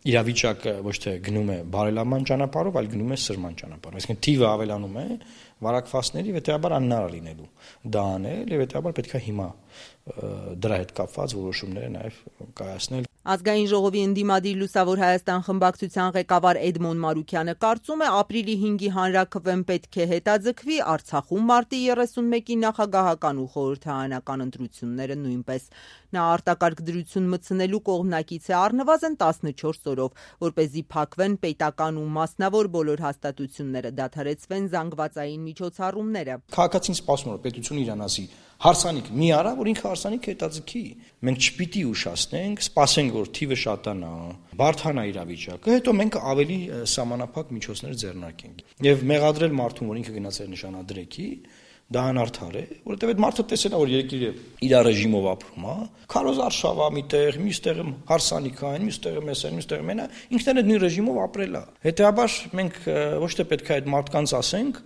իրավիճակը ոչ թե գնում է բարելավման ճանապարհով, այլ գնում է սրման ճանապարհով։ Այսինքն թիվը ավելանում է վարակվածների, հետեւաբար անհնար լինելու դա անել, եւ հետեւաբար պետք է հիմա դրա հետ կապված որոշումները նաեւ կայացնել։ Ազգային ժողովի ընդդիմադիր Լուսավոր Հայաստան խմբակցության ղեկավար Էդմոն Մարուկյանը կարծում է, ապրիլի 5-ի հանրաքվեն պետք է հետաձգվի, Արցախում մարտի 31-ի նախագահական ու խորհրդարանական ընտրությունները նույնպես։ Նա արտակարգ դրություն մտցնելու կողմնակից է առնվազն 14 օրով, որպեսզի փակվեն պետական ու մասնավոր բոլոր հաստատությունները, դադարեցվեն զանգվածային միջոցառումները։ Քաղաքացին սպասում է, որ պետությունը իրան ասի հարսանիք մի արա, որ ինքը հարսանիքը հետաձգի։ Մենք չպիտի ուշացնենք, սպասենք, որ թիվը շատանա, բարդանա իրավիճակը, հետո մենք ավելի սահմանափակ միջոցներ ձեռնարկենք։ Եվ մեղադրել մարդուն, որ ինքը գնաց էր նշանադրեքի, դա անարդար է, որովհետև այդ մարդը տեսել է, որ երկիրը իր ռեժիմով ապրում է, քարոզ արշավա միտեղ, մյուստեղ հարսանիք այն, մյուստեղ մեսեն, մյուստեղ մենա, ինքն էլ նույն ռեժիմով ապրել է։ Հետեւաբար մենք ոչ թե պետք է այդ մարդկանց ասենք,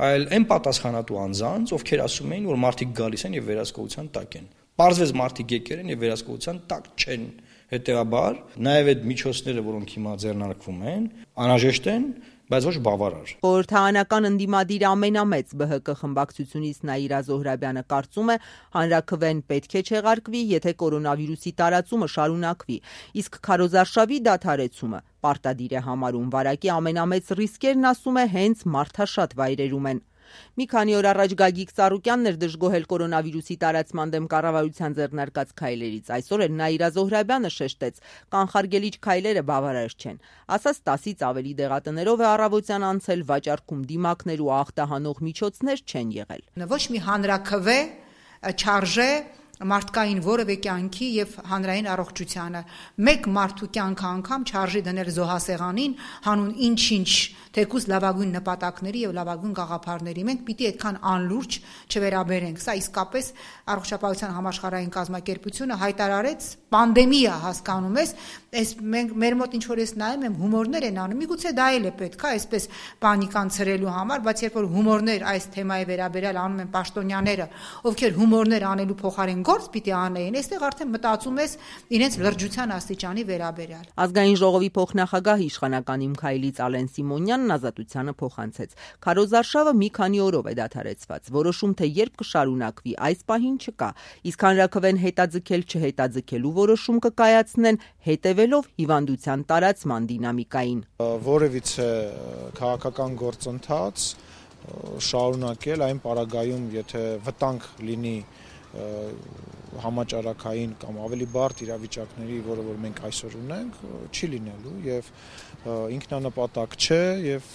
այլ այն պատասխանատու անձանց, ովքեր ասում էին, որ մարդիկ գալիս են եւ վերահսկողության տակ են։ Պարզվեց մարդիկ եկել են եւ վերահսկողության տակ չեն։ Հետեւաբար նաեւ այդ միջոցները, որոնք հիմա ձեռնարկվում են, անհրաժեշտ են, բայց ոչ բավարար։ Խորհրդարանական ընդդիմադիր ամենամեծ ԲՀԿ խմբակցությունից Նաիրա Զոհրաբյանը կարծում է, հանրաքվեն պետք է չեղարկվի, եթե կորոնավիրուսի տարածումը շարունակվի, իսկ քարոզարշավի դադարեցումը պարտադիր է համարում։ Վարակի ամենամեծ ռիսկերն, ասում է, հենց մարդաշատ վայրերում են։ Մի քանի օր առաջ Գագիկ Ծառուկյանն էր դժգոհել կորոնավիրուսի տարածման դեմ կառավարության ձեռնարկած քայլերից։ Այսօր էլ Նաիրա Զոհրաբյանը շեշտեց, կանխարգելիչ քայլերը բավարար չեն։ Ասաց 10-ից ավելի դեղատներով է առավոտյան անցել, վաճառքում դիմակներ ու ախտահանող միջոցներ չեն եղել։ Ոչ մի հանրաքվե չարժե մարդկային որևէ կյանքի եւ հանրային առողջությանը։ Մեկ մարդու կյանքը անգամ չարժի դնել զոհասեղանին, հանուն ինչ-ինչ թեկուզ լավագույն նպատակների եւ լավագույն գաղափարների։ Մենք պիտի այդքան անլուրջ չվերաբերենք։ Սա իսկապես առողջապահության համաշխարհային կազմակերպությունը հայտարարեց պանդեմիա, հասկանում ես, այս մենք մեր մոտ ինչ որ ես նայում եմ հումորներ են անում, միգուցե դա էլ է պետք է այսպես պանիկան ցրելու համար, բայց երբ որ հումորներ այս թեմայի վերաբերյալ անում են պաշտոնյաները, ովքեր հումորներ անելու փոխարեն գործ պիտի անեին, այստեղ արդեն մտածում ես իրենց լրջության աստիճանի վերաբերյալ։ Ազգային ժողովի փոխնախագահ իշխանական Իմքայլից Ալեն Սիմոնյանն ազատությանը փոխանցեց։ Քարոզարշավը մի քանի օրով է դադարեցված։ Որոշում թե երբ կշարունակվի, այս պահին չկա։ Իսկ հանրաքվեն հետաձգել չհետաձգելու որոշում կկայացնեն հետևելով հիվանդության տարածման դինամիկային։ Որևիցե քաղաքական գործընթաց շարունակել այն պարագայում, եթե վտանգ լինի համաճարակային կամ ավելի բարդ իրավիճակների, որը որ մենք այսօր ունենք, չի լինելու եւ ինքնանպատակ չէ եւ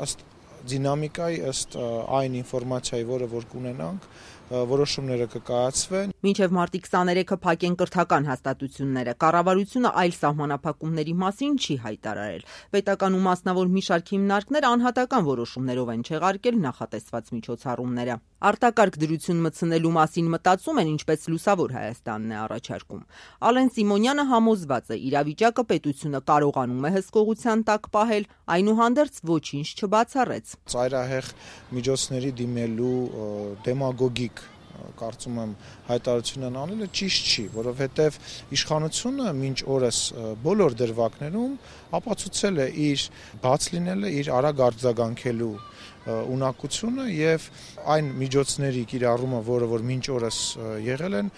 ըստ դինամիկայի, ըստ այն ինֆորմացիայի, որը որ կունենանք, որոշումները կկայացվեն։ Մինչև մարտի 23-ը փակեն կրթական հաստատությունները։ Կառավարությունը այլ սահմանափակումների մասին չի հայտարարել։ Պետական ու մասնավոր մի շարք հիմնարկներ անհատական որոշումներով են չեղարկել նախատեսված միջոցառումները։ Արտակարգ դրություն մտցնելու մասին մտածում են, ինչպես Լուսավոր Հայաստանն է առաջարկում։ Ալեն Սիմոնյանը համոզված է, իրավիճակը պետությունը կարողանում է հսկողության տակ պահել, այնուհանդերձ ոչինչ չբացառեց։ Ծայրահեղ միջոցների դիմելու դեմագոգիկ կարծում եմ հայտարարությունն անելը ճիշտ չի, որովհետև իշխանությունը մինչ օրս բոլոր դրվագներում ապացուցել է իր բաց լինելը, իր արագ արձագանքելու ունակությունը եւ այն միջոցների կիրառումը, որը որ մինչ օրս եղել են,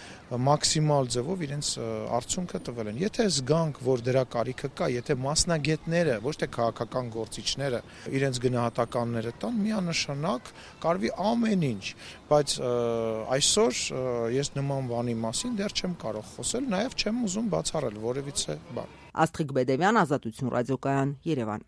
մաքսիմալ ձևով իրենց արդյունքը տվել են։ Եթե զգանք, որ դրա կարիքը կա, եթե մասնագետները, ոչ թե քաղաքական գործիչները իրենց գնահատականները տան, միանշանակ կարվի ամեն ինչ, բայց այսօր ես նման բանի մասին դեռ չեմ կարող խոսել, նաեւ չեմ ուզում բացառել որևիցե բան։ Աստղիկ Բեդևյան, Ազատություն ռադիոկայան, Երևան։